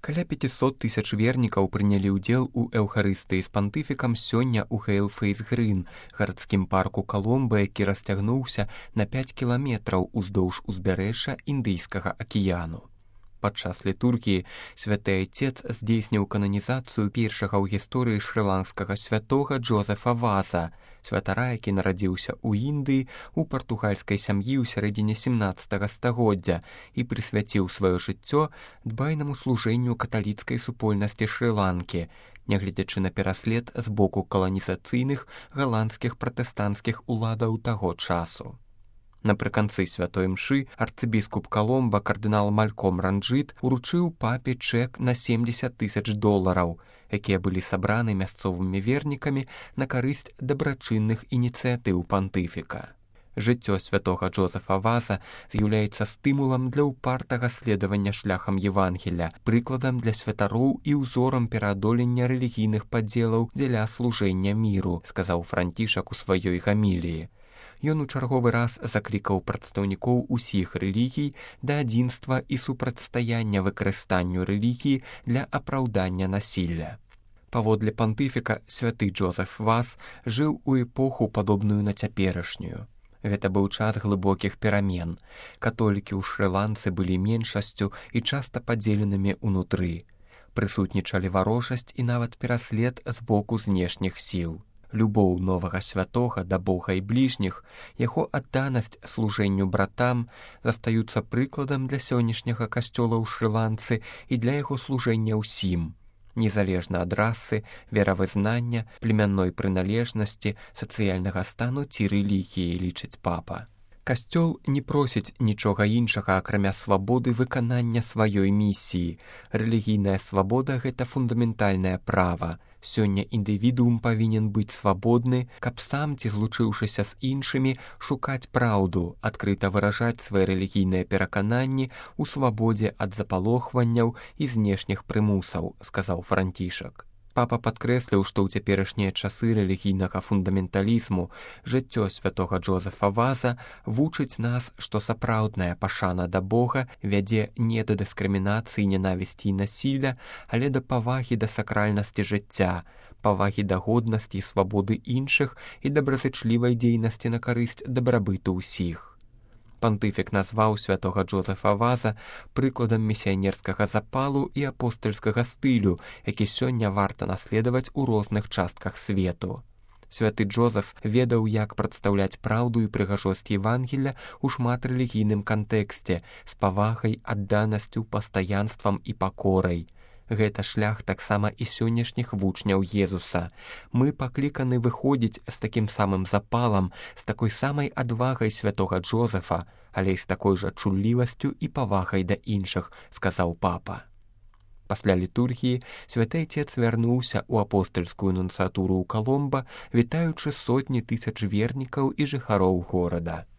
Каля 500 тысяч вернікаў прынялі ўдзел у эўхарыстыі з пантыфікам сёння ў Хейл-Фейс-Грын, гарадскім парку Каломба, які расцягнуўся на 5 кіламетраў уздоўж узбярэжжа Індыйскага акіяну. Падчас літургіі святы айцец здзейсніў кананізацыю першага ў гісторыі шры-ланкскага святога Джозефа Ваза, святара, які нарадзіўся ў Індыі у партугальскай сям'і ў сярэдзіне 17 стагоддзя і прысвяціў сваё жыццё дбайнаму служэнню каталіцкай супольнасці Шры-Ланкі, нягледзячы на пераслед з боку каланізацыйных галандскіх пратэстанцкіх уладаў таго часу. Напрыканцы святой мшы арцыбіскуп Каломба кардынал Мальком Ранджыт уручыў папе чэк на $70 000, якія былі сабраны мясцовымі вернікамі на карысць дабрачынных ініцыятыў пантыфіка. Жыццё святога Джозефа Ваза з'яўляецца стымулам для ўпартага следавання шляхам Евангелля, прыкладам для святароў і ўзорам пераадолення рэлігійных падзелаў дзеля служэння міру, сказаў Францішак у сваёй гаміліі. Ён у чарговы раз заклікаў прадстаўнікоў усіх рэлігій да адзінства і супрацьстаяння выкарыстанню рэлігіі для апраўдання насілля. Паводле пантыфіка, святы Джозеф Ваз жыў у эпоху, падобную на цяперашнюю. Гэта быў час глыбокіх перамен. Католікі ў Шры-Ланцы былі меншасцю і часта падзеленымі ўнутры. Прысутнічалі варожасць і нават пераслед з боку знешніх сіл. Любоў новага святога да Бога і бліжніх, яго адданасць служэнню братам застаюцца прыкладам для сённяшняга касцёла ў Шры-Ланцы і для яго служэння ўсім, незалежна ад расы, веравызнання, племянной прыналежнасці, сацыяльнага стану ці рэлігіі, лічыць папа. Касцёл не просіць нічога іншага, акрамя свабоды выканання сваёй місіі. Рэлігійная свабода – гэта фундаментальнае права. Сёння індывідуум павінен быць свабодны, каб сам ці злучыўшыся з іншымі шукаць праўду, адкрыта выражаць свае рэлігійныя перакананні ў свабодзе ад запалохванняў і знешніх прымусаў, сказаў Францішак. Папа падкрэсліў, што ў цяперашнія часы рэлігійнага фундаменталізму жыццё святога Джозефа Ваза вучыць нас, што сапраўдная пашана да Бога вядзе не да дыскрымінацыі, ненавісці і насілля, але да павагі да сакральнасці жыцця, павагі да годнасці і свабоды іншых і добразычлівай дзейнасці на карысць дабрабыту ўсіх. Пантыфік назваў святога Джозефа Ваза прыкладам місіянерскага запалу і апостальскага стылю, які сёння варта наследаваць у розных частках свету. Святы Джозеф ведаў, як прадстаўляць праўду і прыгажосць Евангелля ў шматрэлігійным кантэксце з павагай, адданасцю, пастаянствам і пакорай. Гэта шлях таксама і сённяшніх вучняў Езуса. Мы пакліканы выходзіць з такім самым запалам, з такой самай адвагай святога Джозефа, але і з такой жа чуллівасцю і павагай да іншых, сказаў папа. Пасля літургіі святы айцец вярнуўся ў апостальскую нунцыятуру ў Каломба, вітаючы сотні тысяч вернікаў і жыхароў горада.